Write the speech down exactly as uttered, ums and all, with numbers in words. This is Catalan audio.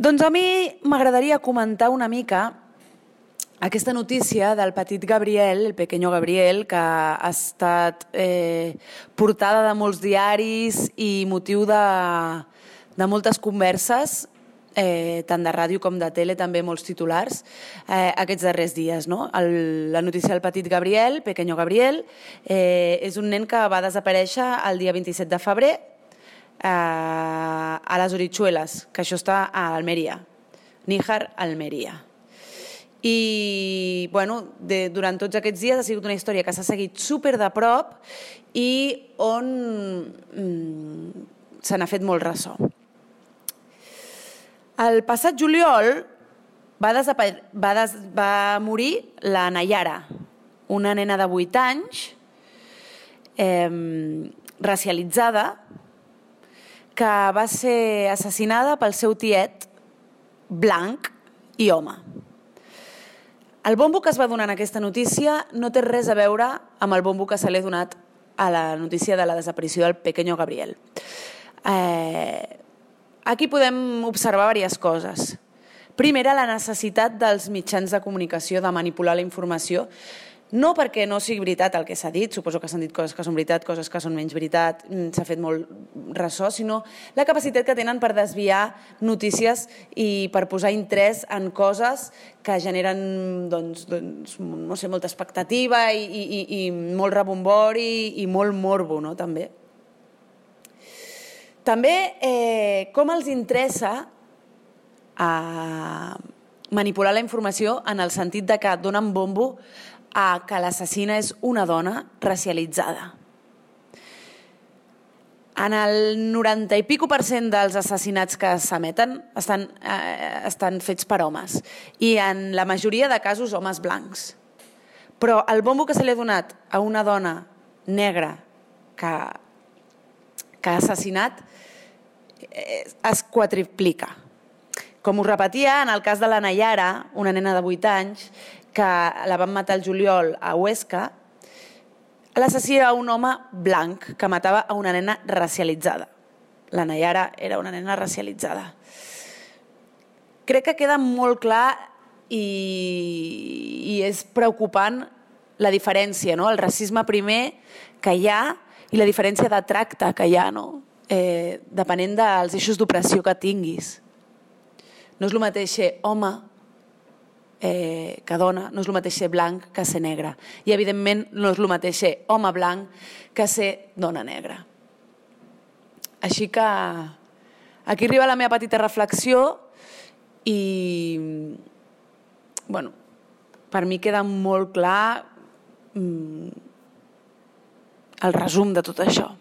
Doncs a mi m'agradaria comentar una mica aquesta notícia del petit Gabriel, el pequeño Gabriel, que ha estat eh, portada de molts diaris i motiu de, de moltes converses, eh, tant de ràdio com de tele, també molts titulars, eh, aquests darrers dies. No? El, la notícia del petit Gabriel, pequeño Gabriel, eh, és un nen que va desaparèixer el dia vint-i-set de febrer eh, a les Orichuelas, que això està a Almeria, Níjar, Almeria. I bueno, de, durant tots aquests dies ha sigut una història que s'ha seguit super de prop i on mm, se n'ha fet molt ressò. El passat juliol va, va, des va morir la Nayara, una nena de vuit anys, eh, racialitzada, que va ser assassinada pel seu tiet blanc i home. El bombo que es va donar en aquesta notícia no té res a veure amb el bombo que se li ha donat a la notícia de la desaparició del pequeño Gabriel. Eh, aquí podem observar diverses coses. Primera, la necessitat dels mitjans de comunicació de manipular la informació, no perquè no sigui veritat el que s'ha dit, suposo que s'han dit coses que són veritat, coses que són menys veritat, s'ha fet molt ressò, sinó la capacitat que tenen per desviar notícies i per posar interès en coses que generen doncs, doncs, no sé, molta expectativa i, i, i molt rebombori i molt morbo, no? També. També eh, com els interessa a manipular la informació en el sentit de que donen bombo a que l'assassina és una dona racialitzada. En el noranta i pico per cent dels assassinats que s'emeten estan, eh, estan fets per homes i en la majoria de casos homes blancs. Però el bombo que se li ha donat a una dona negra que, que ha assassinat eh, es quadriplica. Com us repetia, en el cas de la Nayara, una nena de vuit anys, que la van matar el juliol a Huesca, l'assassí era un home blanc que matava a una nena racialitzada. La Nayara era una nena racialitzada. Crec que queda molt clar i, i és preocupant la diferència, no? El racisme primer que hi ha i la diferència de tracte que hi ha, no? eh, depenent dels eixos d'opressió que tinguis. No és el mateix ser home eh, que dona, no és el mateix ser blanc que ser negre. I, evidentment, no és el mateix ser home blanc que ser dona negra. Així que aquí arriba la meva petita reflexió i, bueno, per mi queda molt clar mm, el resum de tot això.